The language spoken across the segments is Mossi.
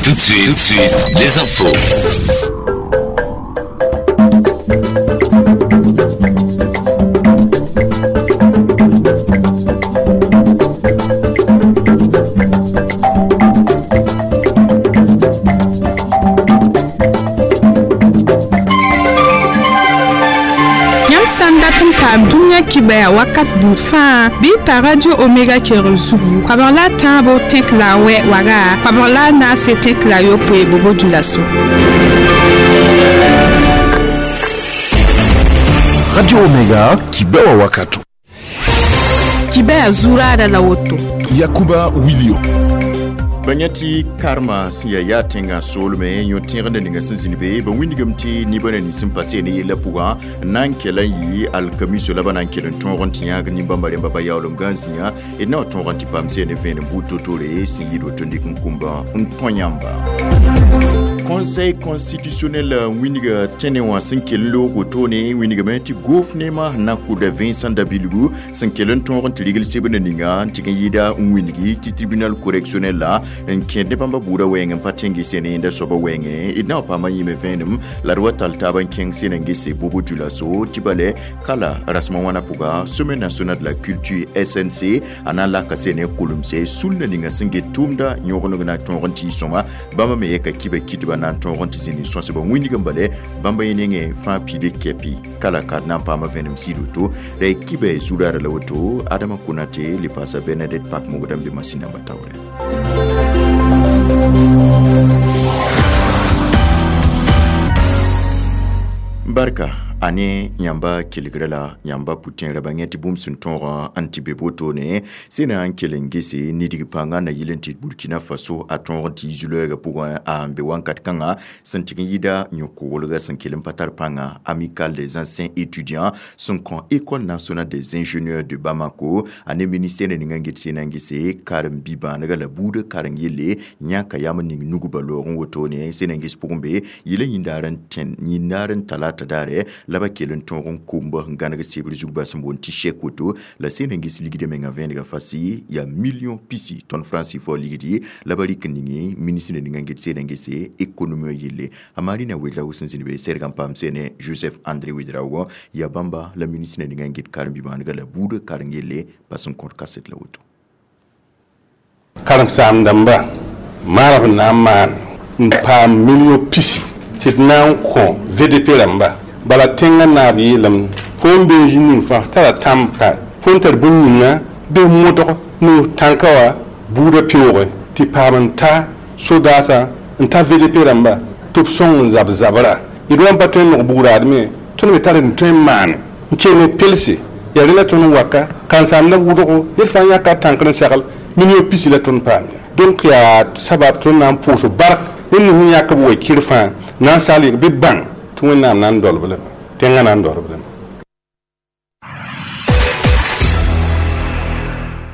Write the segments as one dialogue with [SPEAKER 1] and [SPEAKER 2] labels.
[SPEAKER 1] Tout de suite, les infos.
[SPEAKER 2] Yãmb sã n dat n paam dũniyã kibaya wakat buud fãa bɩ y pa Radio Omega kelg zugu koabg la a tãabo tẽk la a wɛ waga koabg la a naase tẽk la a yopoe bobo dũlaso.
[SPEAKER 3] Radio Omega kibewa wakato.
[SPEAKER 2] Kibaya zuraada la woto.
[SPEAKER 3] Yakuba Wilio.
[SPEAKER 4] Ba yã tɩ karma sẽn yaa yaa tẽngã soolme yõ-tẽgdã ninga sẽn zĩnd be ba wĩndgame tɩ nebã na nins n pa ne yellã pʋgã n na n kell n yɩ alkamiso la ba na n kell n tõog n tɩ yãag nin-bãmba rẽmba ba yaoolem gã zĩã d na wa tõog n tɩ paam seen vẽenem buud to-tore sẽn yɩɩd woto n dɩk n kũmbã n kõ yãmba. Conseil constitutionnel wĩnga tẽne wã sẽn kell n loog wotone wĩngame tɩ gofnema na kʋda Vincent Dabilgu sẽn kell n tõog n tɩ rigl sebna ninga n tɩg n yɩɩda n wĩngi tɩ tribunal correctionnel la n kẽed ne bãmba buudã wɛɛng n pa tẽng sene yẽnda soabã wɛɛngẽ d na wa paama yĩme vẽenem la d wa tall taab n kẽng sẽn n gese bobo dioulasso tɩ bale kala rasmã wãna pʋga Sommet national de la culture SNC a na n laka sene kulemse sulna ninga sẽn get tʋʋmda yõgeneg na tõog n tɩ sõma bãmba me yɛka kiba kitba na n tõog n tɩ zĩnd n sõsba wĩndg n bale bãmba yẽ nengẽ fãa piide kɛpɩ kala ka d na n paama vẽenem sɩd woto ra y kiba zuraara la woto Adama Konate le paasa Bernadette Pak mogda n be masĩn namba taoorɛ. Barka ane yãmba kelgrã la yãmba pʋtẽerã ba yẽ tɩ bũmb sẽn tõogã n tɩ be wotone sẽna n kell n gese nidg pãngã na yɩl n tɩ Burkina Faso a tõog n tɩ yi zu-loɛɛgã pʋgẽ a n be wãnkat kãngã sẽn tɩg n yɩɩda yõ-koglgã sẽn kell n pa tar pãnga Amicale des anciens étudiants sẽn kõ École nationale des ingénieurs de Bamako a ne ministère ning n get sẽna n gese karen-bi-bãanega la buudã karen yelle yãka yam ning nugba loog n wotone sẽna n ges pʋgẽ be yɩl n yĩndaar n talata daare la ba kell n tõog n komb n gãneg sebr zug bas n boond tɩ chèque woto la sẽn n ges ligdã menga vẽenega fasi yaa million pisi tõnd franc CFA ligdi la ba rɩk n ninge ministre ninga n get sẽn n gese économie yelle a Marina Ouedraogo sẽn zĩnd be sɛrg n paam sene Joseph André Ouedraogo yaa bãmba la ministre ninga n get karen-bi-bãanega la buudã karen yelle bas n kõt kaset la woto.
[SPEAKER 5] Karen-saam-dãmba maana b na n maan n paam million pisi tɩ d na n kõ VDP rãmba bala tẽngã naab yeelame fo n be n zĩ ning fãa tara tãmb ka fo n tar bũmb ninga bɩ modg no tãnka wã buudã peoogẽ tɩ paam n ta sodaasã n ta VDP rãmba tɩ b sõng n zab zabra d wa n pa tõe n nog bugraadme tõnd me tar n tõe n maane n kell n pelse yaa rẽ la tõnd n waka karen-saamdã wʋdgo ned fãa yãka tãnkr n segl million pisi la tõnd paam ya donc yaa sabab tõnd na n pʋʋs bark ned nins n yãk b wa-kɩr fãa na n sagl bɩ bãng tɩ Wẽnnaam na n dolb lame tẽngã na n dolb lame.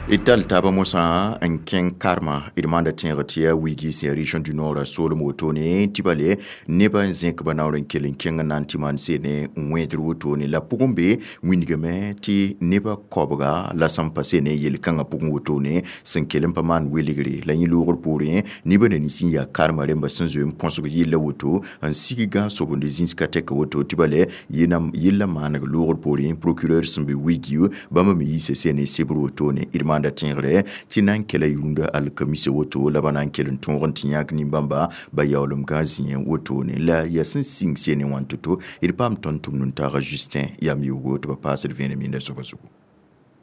[SPEAKER 4] D tall taabã mosã n kẽng karma d maanda tẽegr tɩ yaa wigi sẽn région du nord soolem wotone tɩ bale nebã n zẽk ba naoor n kell n kẽng n na n tɩ maan seene n wẽedr wotone la pʋgẽ be wĩndgame tɩ nebã koabga la sẽn pa seene yel-kãngã pʋgẽ wotone sẽn kell n pa maan welgre la yẽ loogr poorẽ nebã na nins n yaa karma rẽmba sẽn zoe n põsg yella woto n sig gã sobende zĩns ka tɛka woto tɩ bale yella maaneg loogr poorẽ procureur sẽn be wigi bãmba me yiisa seene sebr wotone d maanda tẽegre tɩ na n kela yũunda alkamisa woto la ba na n kell n tõog n tɩ yãk nin-bãmba ba yaoolem gã zĩẽ wotone la yaa sẽn sĩng seene wã n to-to d paam tõnd tʋmd n taaga Justin yam yoogo tɩ ba paasd vẽenem yẽnda soabã zugu.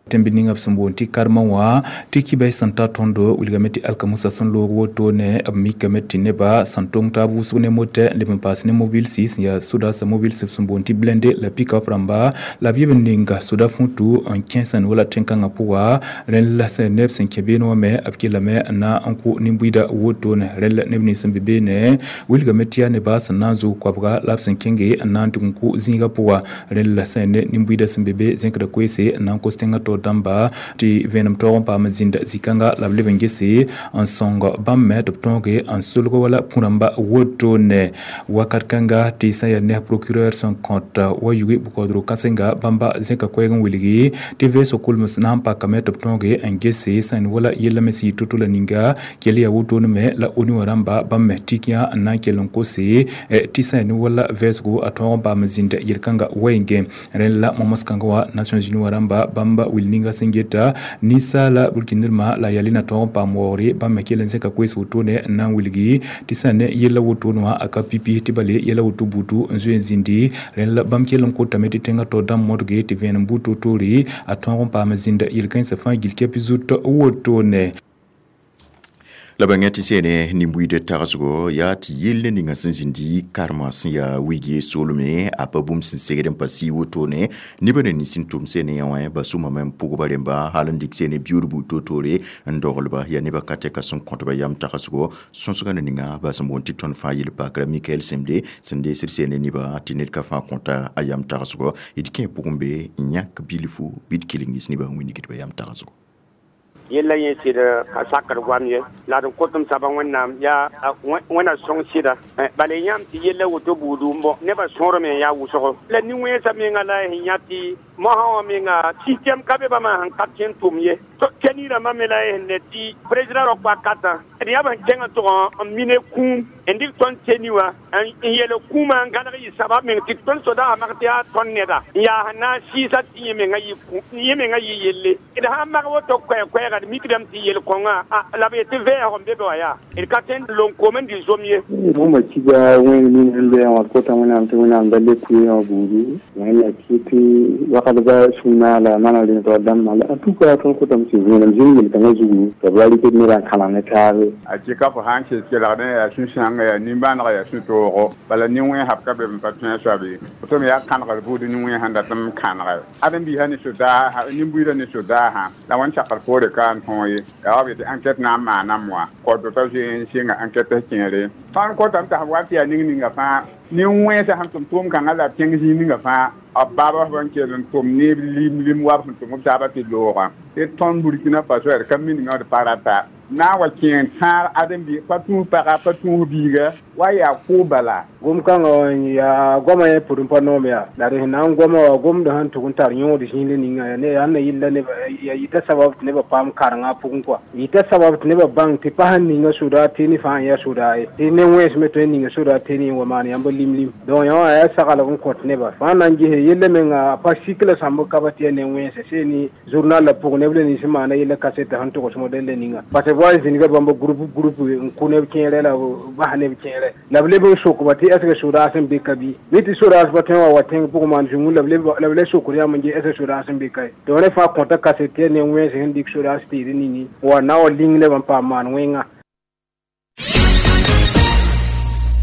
[SPEAKER 6] Tẽmb ninga b sẽn boond tɩ karma wã tɩ kibay sẽn ta tõndo wilgame tɩ alkamusa sẽn loog wotone b mikame tɩ nebã sẽn tong taab wʋsg ne motɛ n leb n paas ne mobilsi sẽn yaa sodaasã mobilsi b sẽn boond tɩ blende la pick-up rãmba la b yeb n ninga soda fũtu n kẽes n wala tẽn-kãngã pʋga rẽnd la sẽn neb sẽn kẽ beene wã me b kellame n na n kʋ nin-buiida wotone rẽnd la neb nins sẽn be beene wilgame tɩ yaa nebã sẽn na n zʋg koabga la b sẽn kẽnge n na n tʋg n kʋ zĩigã pʋga rẽnd la sẽn ne nin-buiidã sẽn be be zẽkda koeese n na n kos tẽngã tẽngã to dãmba tɩ vẽenem taoog n paam zĩnd zĩ-kãnga la b leb n gese n sõng bãmb me tɩ b tõoge n solg wala kũ-rãmba wotone wakat kãnga tɩ sã yaa neb procureur sẽn kõt wa yuge bʋkaoodg kãsenga bãmba zẽka koɛɛg n wilgi tɩ vɛɛsg kolms na n pakame tɩ b tõoge n gese sẽn wala yella me sɩ yɩ to-to la ninga kell yaa wotone me la ONU wã rãmba bãmb me tik yã n na n kell n kose tɩ sã yaa ne wala vɛɛsgo a tõog n paam zĩnd yel-kãnga wɛɛngẽ. Rẽnd la momos-kãngã wã Nations Unies wã rãmba bãmba wil ninga sẽn geta ninsaala burkindrmã la yaa na tõog n paam waoogre bãmb me kell n zẽka koees wotone n na n wilgi tɩ sã ne yella wotone wã a ka pipi tɩ bale yɛla woto butu n zoe n zĩndi. Rẽnd la bãmb kell n kotame tɩ tẽngã taoor dãmb modge tɩ vẽenem buud toor-toore a tõog n paam zĩnd yel-kãensã fãa gill kɛp zut wotone.
[SPEAKER 4] La bãnga tɩ sene nin-buiidã tagsgo yaa tɩ yell ne ninga sẽn zĩndi karema sẽn yaa wigi soolme a pa bũmb sẽn segd n pa sɩ wotone nebã na nins n tʋm sene yã wã ba sʋmame n pʋgba rẽmba hal n dɩk sene biuud buud to-toore n doglba yaa nebã ka tɛka sẽn kõtba yam tagsgo sõsga ne ninga ba sẽn boond tɩ tõnd fãa yel-pakra Mikael Semde sẽn deesd sene nebã tɩ ned ka fãa kõta a yam tagsgo d kẽ pʋgẽ be n yãk bilfu bɩ d kelengis nebã n wingdba yam tagsgo.
[SPEAKER 7] Yella yẽ sɩd ka sakr goam ye la d kõtem saba Wẽnnaam yaa Wẽnna sõng sɩda bala yãmb tɩ yella woto buudu n bõ nebã sõorame n yaa wʋsgo la nin-wẽnsã menga la sẽn yã tɩ mosã wã menga système ka be bãmba sẽn ka tõe n tʋm ye tɩ rãmbã me la sẽn ne tɩ président rao wakatã d yaa b sẽn kẽng n tʋg n mine kũum n dɩk tõnd teni wã n yel kũumã n gãneg yɩ sabab meng tɩ tõnd sodaasã mak tɩ yaa tõnd neda n yaa sẽn na n sɩɩsa tɩ yẽ menga yɩ yelle. D sã n mak woto koɛɛ-koɛɛga d mikdame tɩ yel-kõngã la b yetɩ vɛɛsg n be be wã yaa d ka tõe n lon-kom n dɩ zom ye.
[SPEAKER 8] Bũmba kiga wẽnd ning sẽn loeẽ wã kota Wẽnnaam tɩ Wẽnnaam da le kʋɩ wã buudu wẽnna kɩ tɩ wakat ba sũ-naag la mana rẽnd dãmbã la en tout cas tõnd kotame tɩ vẽenem zĩnd yel-kãngã zugu tɩ b ra rɩkd nedã n kãleng ne taabe.
[SPEAKER 9] A kɩka fo sã n kes kelgdẽ yaa sũ-sãnga yaa nimbãanega yaa sũ-toogo bala nin-wẽnsb ka be n pa tõe a soab ye tɩ me yaa kãnegr buud nin-wẽns sẽn dat n kãnege ãdem-biisã ne sodaasã nin-buiidã ne sodaasã la wãn sakr poore ka n tõog ye yaa wa b yetɩ enquête na n maaname wã kaood t'a zoe n sɩnga enquête kẽere tõnd kotame tɩ sẽn wa tɩ yaa ning ninga fãa nin-wẽnsã sẽn tʋm tʋʋm-kãngã la b kẽng zĩig ninga fãa b baaba b n kell n tʋm neb lim lim wa b sẽn tʋm b taabã tɩ loogã tɩ tõnd Burkina Faso yaa d ka miningã d pa rata na n wa kẽeng tãag ãdem-bi pa tũus paga pa tũus biiga wa yaa kʋʋ bala.
[SPEAKER 8] Gom-kãngã wã yaa goamã yẽ pʋd n pa noom yaa la d sẽn na n goama wã gomdã sẽn tʋg n tar yõod zĩig ninga yaa ne yaa na yɩlla neba yaa yɩta sabab tɩ nebã paam karengã pʋgẽ kɔa yɩta sabab tɩ nebã bãng tɩ pa sẽn ninga soda tɩ ne fãa n yaa sodaa ye tɩ ne-wẽns me tõe n ninga sodaa tɩ ne wa maan yãmb lim lim donc yã wã yaa saglg n kõt neba fãa na n gese yella menga a pa sik la sãmb ka ba tɩ yaa ne-wẽnse see ne journal la pʋgẽ neb la nins n maana yella kaseta sẽn togs modɛl la ninga parce que wa zĩnga bãmb groupe groupe n kʋ neb kẽerɛ la bas neb kẽerɛ la b leb n sokba tɩ est ce que sodaas n be ka bɩ mi tɩ sodaas pa tõe wa tẽng pʋgẽ maan zũngu la b le sokd yãmb n ge est ce que sodaas n be ka ye donc rẽ fãa kõta kaset tɩ yaa ne-wẽns sẽn dɩk sodaas tɩɩd ningi wa na wa ling neb n paam maan wẽnga.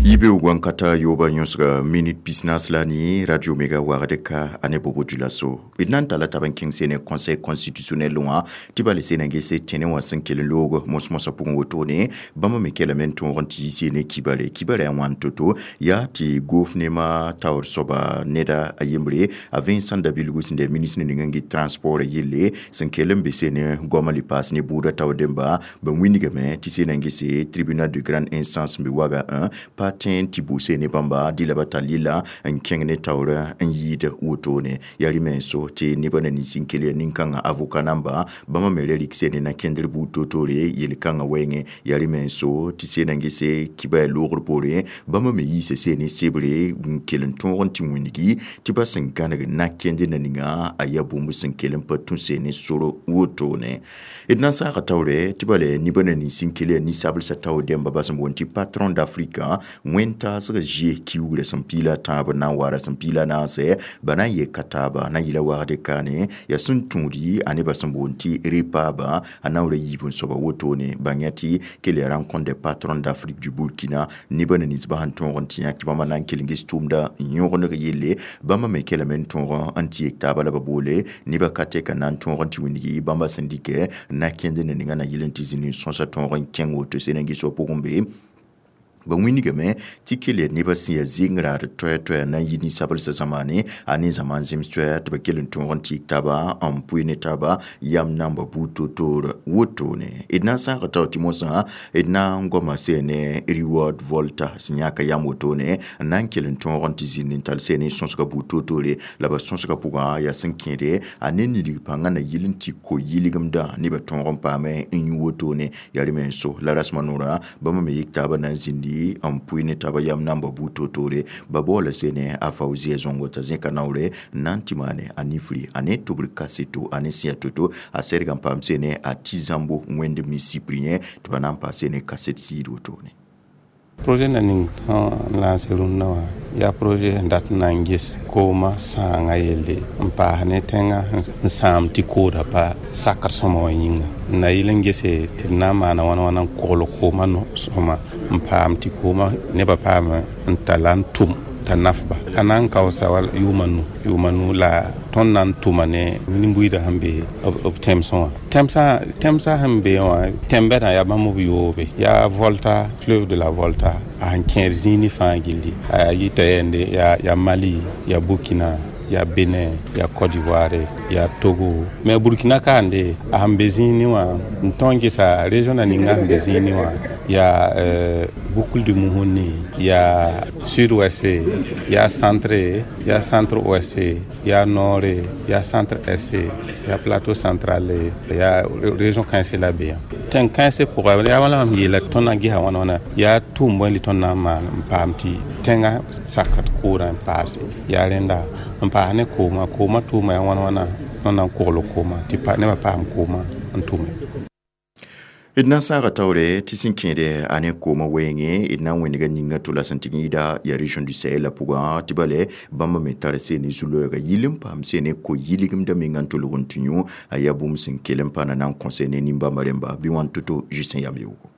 [SPEAKER 4] Yibeoog wãnkata yooba yõsga minit pisnaas la ne Radio Mega wagd ka a ne bobo dulaso d na n tala tab n kẽng sene Conseil constitutionnel wã tɩ bala sena n gese tẽne wã sẽn kell n loog mos-mosã pʋgẽ wotone bãmb me kelame n tõog n tɩ yɩ sene kibare kibara yaa wãn to-to yaa tɩ gofnema taoor soaba neda a yembre a Vincent Dabilgu sẽn da ministre ning n get transport yelle sẽn kell n be sene goamã le paas ne buudã taoor dẽmba ba wingame tɩ sena n gese tribunal de grande instance n be waga 1 pa tẽn tɩ bʋ ne bãmba dɩla ba tall yella n kẽng ne taoorã n yɩɩd wotone yaa rɩ-menso tɩ nebã na nins n kell yaa nin-kãngã avocat namba bãmba me ra rɩk sene na kẽndr buud to-toore yel-kãngã wɛɛngẽ yaa rɩ-menso tɩ sena n gese kiba yaa loogr poorẽ bãmba me yiisa sene sebre n kell n tõog n tɩ wĩngi tɩ ba sẽn gãneg na-kẽnd na ninga a yaa bũmb sẽn kell n pa tũ sene sor wotone d na n saaga taoore tɩ bala nebã na nins n kell yaa ninsablsã taoor dẽmba ba sẽn boond tɩ patron d'Afrique wẽn-taasg zie kiugrã sẽn piila tãab n na n wa rasem piila naase ba na n yeka taaba na n yɩla wagd kaane yaa sẽn tũudi a nebã sẽn boond tɩ repaaba a na n ra yiib n soaba wotone bãng ya tɩ kell yaa rencontre des patrons d'Afrique du Burkina nebã na ninsbã sẽn tõog n tɩ yã tɩ bãmba na n kell n ges tʋʋmda n yõgeneg yelle bãmba me kelame n tõog n tɩ yek taaba la ba boole nebã ka tɛka na n tõog n tɩ wĩndgi bãmba sẽn dɩkɛ na kẽnd na ninga na yɩl n tɩ zĩnd n sõsa tõog n kẽng woto sẽn n ges wa pʋgẽ be Ba wĩnigame tɩ kell ya nebã sẽn yaa zeng raad toɛɛ-toɛɛ na n yi ninsabelsã zamaane a ne zãmaan zems toɛɛ tɩ ba kell n tõog n tɩɩg taaba n pʋɩ ne taaba yam namba buud toor-toor wotone. D na n sãaga tao tɩ mosã d na n goama sẽn ne Reward Volta sẽn yãka yam wotone n na n kell n tõog n tɩ zĩnd n tall sẽn ne sõsga buud toor-toore la ba sõsga pʋgã yaa sẽn kẽede a ne nidg pãngã na yɩl n tɩ ko-yɩlgemdã nebã tõog n paame n yũ wotone yaa rẽ me n so la rasmã noorã bãmba me yik taaba na n zĩndi n pʋɩ ne taaba yam namba buud toor-toore ba baoola sene a Faouzia Zongo t'a zẽka naoore n na n tɩ maane a nifri a ne tʋbr kaseto a ne sẽn yaa to-to a sɛdga n paam sene a tɩ zãmbo wẽnd mi Cyprien tɩ ba na n paas sene kaset siid wotone.
[SPEAKER 5] Projet na ning sẽn lancé rũndã wã yaa projet sẽn dat n na n ges koomã sãangã yelle n paas ne tẽngã n sãam tɩ kooda pa sakr sõma wã yĩnga n na yɩl n gese tɩ d na n maana wãna wãna n kogl koomã sõma n paam tɩ koomã nebã paam n talla n tʋm t'a nafba a na n kaoosa wala yʋʋma nu la tõnd na n tʋma ne nin-buiidã sẽn be b tẽmsẽ wã tẽmsã sẽn be wã tẽn-bɛdã yaa bãmb b yoobe yaa Volta, fleuve de la Volta a sẽn kẽer zĩig ne fãa gilli a yita yɛnde yaa Mali, yaa Burkina, yaa Benin, yaa Côte d'Ivoire, yaa Togo, mais Burkina kaande a sẽn be zĩig ne wã n tõnd gesa région na ninga sẽn be zĩig ne wã yaa Boucle du Mouhouni, yaa sud-ouest, yaa centre, yaa centre-ouest, yaa nord, yaa centre-est, yaa plateau central, yaa région kãensẽ la be yã tẽng kãensẽ pʋga yaa wãla mam yeela tõnd na n gesa wãna wãna yaa tʋʋm bõe tõnd na n maan n paam tɩ tẽngã sakd koodã n paase yaa rẽnda n paas ne koomã koomã tʋʋma yaa wãna wãna tõnd na n kogl koomã tɩ nebã paam koomã n tʋme.
[SPEAKER 4] D na n sãaga taoore tɩ sẽn kẽede a ne koomã wɛɛngẽ d na n wẽnega ninga to la sẽn tɩg yɩɩda yaa région du Sahel la pʋgã tɩ bale bãmba me tara sene zu-loɛɛga yɩl n paam sene ko-yɩlgemdã menga n tolg n tũ yũ a yaa bũmb sẽn kell n pa na n kõse ne nin-bãmba rẽmba bɩ wãn to-to Justin yam yoogo.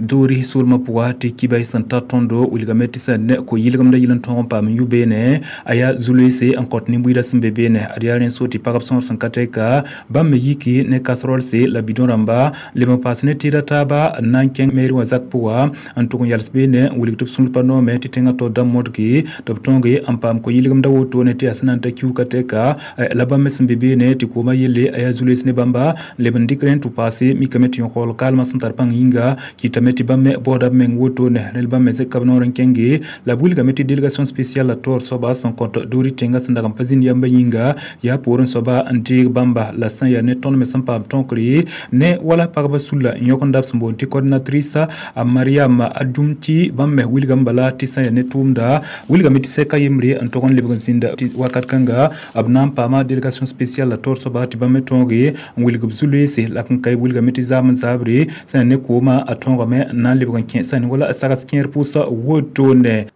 [SPEAKER 6] Doori soolmã pʋga tɩ kibay sẽn tar tõndo wilgame tɩ sẽn ne ko-yɩlgemdã yɩl n tõog n paam n yʋ beene a yaa zu-loeese n kõt nin-buiidã sẽn be beene ad yaa rẽ so tɩ pagb sõor sẽn ka tɛka bãmb me yiki ne casserolse la bidon rãmba leb n paas ne tɩɩda taaba n na n kẽng meeri wã zak pʋga n tʋg n yals beene n wilg tɩ b sũur pa noome tɩ tẽngã taoor dãmb modge tɩ b tõoge n paam ko-yɩlgemdã wotone tɩ yaa sẽn na n ta kiuka tɛka la bãmb me sẽn be beene tɩ koomã yelle a yaa zu-loees ne bãmba leb n dɩk rẽ n tɩ paase mikame tɩ yõkol kaalmã sẽn tar pãng yĩnga kɩtame tɩ bãmb me baooda b meng wotone rẽl bãmb me zẽka b noor n kẽnge la b wilgame tɩ délégation spéciale la taoor soaba sẽn kõt doori tẽngã sẽn dag n pa zĩnd yamba yĩnga yaa poorẽ soaba n deeg bãmba la sẽn yaa ne tõnd me sẽn paam tõokre ne wala pagba sulla n yõk n dab sẽn boond tɩ coordinatrice a Mariam Adumti bãmb me wilgame bala tɩ sẽn yaa ne tʋʋmda wilgame tɩ sɛka yembre n tog n lebg n zĩnda tɩ wakat kãnga b na n paama délégation spéciale la taoor soaba tɩ bãmb me tõoge n wilg b zu-loeese la n ka wilgame tɩ zaam n zaabre sẽn yaa ne koomã a tõogame n na n lebg n kẽ sẽn wala sags kẽer pʋʋsa wotone.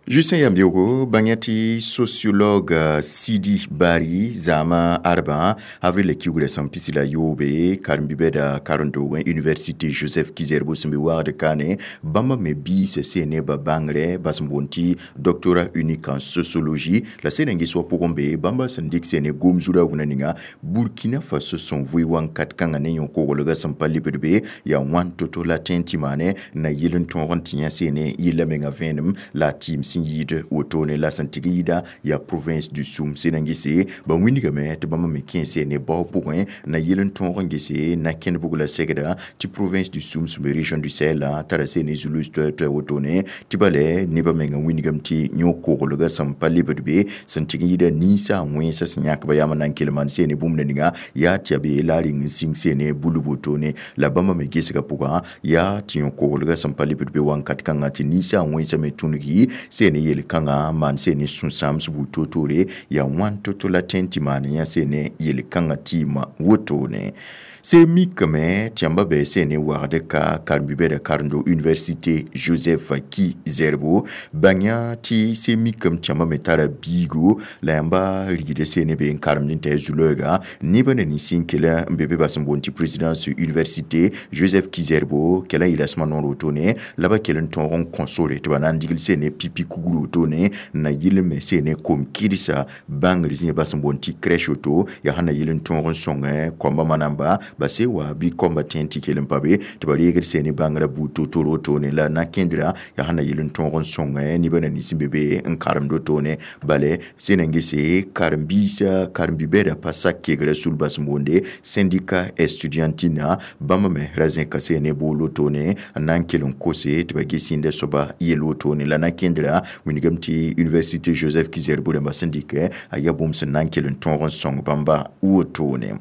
[SPEAKER 4] Justin Yambiogo, bãng tɩ sociologue Sidi Bari zãama arbã avril la kiugrã sẽn pisi la yoobe karen-bibɛda karen-doogẽ université Joseph Ki-Zerbo sẽn be wagd kaane bãmba me biisa sẽn ne ba bãngrɛ bas n boond tɩ doctorat unique en sociologie la sẽn n ges wa pʋgẽ be bãmba sẽn dɩk sẽn ne gom zura wũnã ninga Burkina Faso sẽn vʋɩ wãnkat kãngã ne yõ-koglgã sẽn pa lebd be yaa wãn to-to la tẽ n tɩ maane na yɩl n tõog n tɩ yã sẽn ne yella menga vẽenem la a tɩɩm sẽn yɩɩd wotone la sẽn tɩg yɩɩda yaa province du Soum sẽn n gese ba wĩndgame tɩ bãmba me kẽ sẽn ne bao pʋgẽ na yɩl n tõog n gese na kẽnd bug la segda tɩ province du Soum sẽn be région du Sahel la tara sẽn ne zulus toɛ-toɛ wotone tɩ bale nebã menga wĩndgame tɩ yõ-koglgã sẽn pa lebd be sẽn tɩg n yɩɩda ninsaag wẽnsã sẽn yãk ba yaam n na n kell maan sẽn ne bũmb na ninga yaa tɩ yaa be la a reng n sĩng sẽn ne bulb wotone la bãmba me gesgã pʋgã yaa tɩ yõ-koglgã sẽn pa lebd be wãnkat kãngã tɩ ninsaag wẽnsã me tũngi sẽn ne yel-kãngã maan sẽn ne sũ-sãams buud toor-toore yaa wãn to-to la tẽ n tɩ maan yã sẽn ne yel-kãngã tɩɩmã wotone. Se mikame tɩ yãmba bɩ sẽn ne wagd ka karen-bibɛda karen-do université Joseph Ki-Zerbo bãng yã tɩ se mikame tɩ yãmba me tara biigo la yãmba rigda sẽn ne be n karemd n tɩ a zu-loɛɛga nebã na nins n kell n be be bas n boond tɩ présidence université Joseph Ki-Zerbo kɛla n yeela sẽma noor wotone la ba kell n tõog n kõ sore tɩ ba na n digl sẽn ne pipi kugr wotone n na yɩl me sẽn ne kom-kɩdsa bãngr zĩig bas n boond tɩ crèche woto yaa sẽn na yɩl n tõog n sõngẽ koamba manamba. ba se wa bɩ kõmba tẽ tɩ kell n pa be tɩ ba reegd sẽne bãngrã buud to-toro wotone la na kẽndra yaa sẽn na yel n tõog n sõngẽ nebã na nins n be be n karemd wotone bale sẽn na n gese karen-biisã karen-bi-bɛda pa sak kegrã sul bas n boonde syndicat estudiantina bãmb me ra zẽka sẽne bool wotone n na n kell n kose tɩ ba ges sĩnda soaba yel wotone la na kẽndra wilgame tɩ université Joseph Ki-Zerbo rãmbã sẽn dɩkɛ a yaa bũmb sẽn na n kell n tõog n sõng bãmba wotone.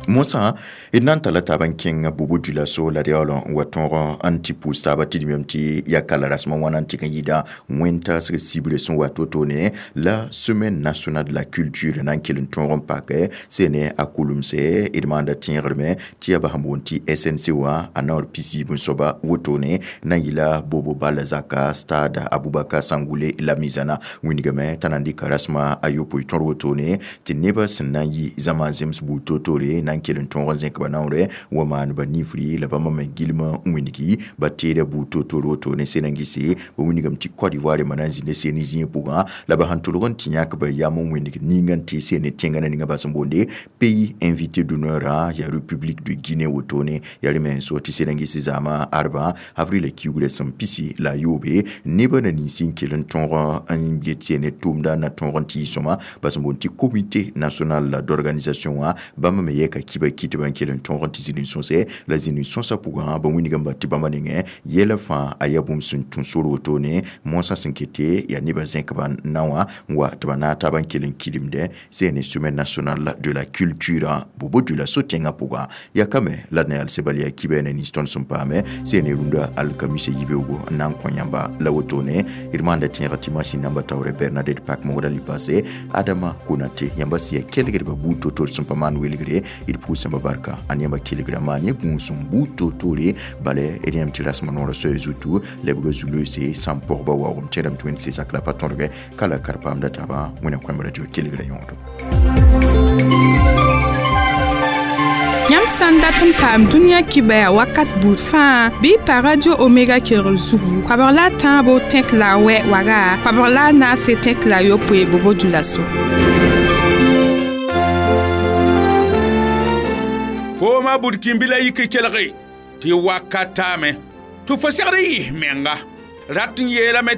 [SPEAKER 4] Mosã d na n talla taab n kẽng Bobo Dioulasso la d yaool n wa tõog n tɩ pʋʋs taaba tɩ d meem tɩ ya kala rasmã wãna n tɩg n yɩɩda wẽn-taasg sibre sẽn wat wotone la Semaine nationale de la culture na n kell n tõog n pakɛ sẽne a kulemse d maanda tẽegrme tɩ yaa basẽn boond tɩ SNC wã a naoor pisiib n soaba wotone na n yɩla Bobo Bala zaka stade Abubakar Sangoulé Lamizana wĩndgame t'a na n dɩka rasmã a yopoe tõr wotone tɩ nebã sẽn na n yi zãma zems buud to-tore na n kell n tõog n zẽk ba naoore wa maan ba nifri la bãmba me gilm n wĩndgi ba teeda buud to-tore wotone sẽn na n gese ba wĩndgame tɩ Côte d'Ivoire ma na n zĩnda seen zĩig pʋgã la ba sẽn tʋlg n tɩ yãk ba yam n wĩndg ninga n tɩ seen tẽngã ninga bas n boonde pays invité d'honneur yaa République de Guinée wotone yaa rẽ me n so tɩ sẽn na n ges zaamã arba avril kiugrã sẽn pisi la a yoobe nebã na nins n kell n tõog n get seen tʋʋmda na tõog n tɩ sõma bas n boond tɩ comité national d'organisation wã bãmb me yɛka kiba kɩtbã n kell n tõog n tɩ zĩnd n sõsɛ la zĩnd n sõsã pʋgã ba wĩndgame ba tɩ bãmba nengẽ yɛla fãa a yaa bũmb sẽn tũ sor wotone moasã sẽn kete yaa nebã zẽkba na wã n wa tɩ ba naag taab n kell n kilimdẽ sẽn ne Semaine nationale de la culture Bobo Dioulasso tẽngã pʋgã yaa kame la d na yals bal yaa kiba na nins tõnd sẽn paame sẽn ne rũndã alkamisa yibeoogo n na n kõ yãmba la wotone d maanda tẽega tɩ masin namba taoore Bernadette Pak mogda lipase Adama Konate yãmba sẽn yaa kelgdbã buud to-tore sẽn pa maan welgre d pʋʋsãmba barka a yãmba kelgra maan yẽ gũus n buud to-tore bala d yãmb tɩ rasmã noorã soɛɛ zutu lebga zu-loeese sã n pɔgba waoogem tẽedame tɩ wẽnd sɩ la pa tõdgɛ ka la kar paamda taabã wẽna kõem radio kelgra yõodo.
[SPEAKER 2] Yãmb sã n dat n paam dũniyã kibɛa wakat buud fãa bɩ pa Radio Omega kelgr zugu koabg la a tãabo tẽk la a wɛ waga koabg la a naase tẽk la a yopoe Bobo Dioulasso.
[SPEAKER 10] Fooma bud kĩmbi la yik kelge tɩ wakat taame tɩ fo segd n yɩs menga rat n yeelame.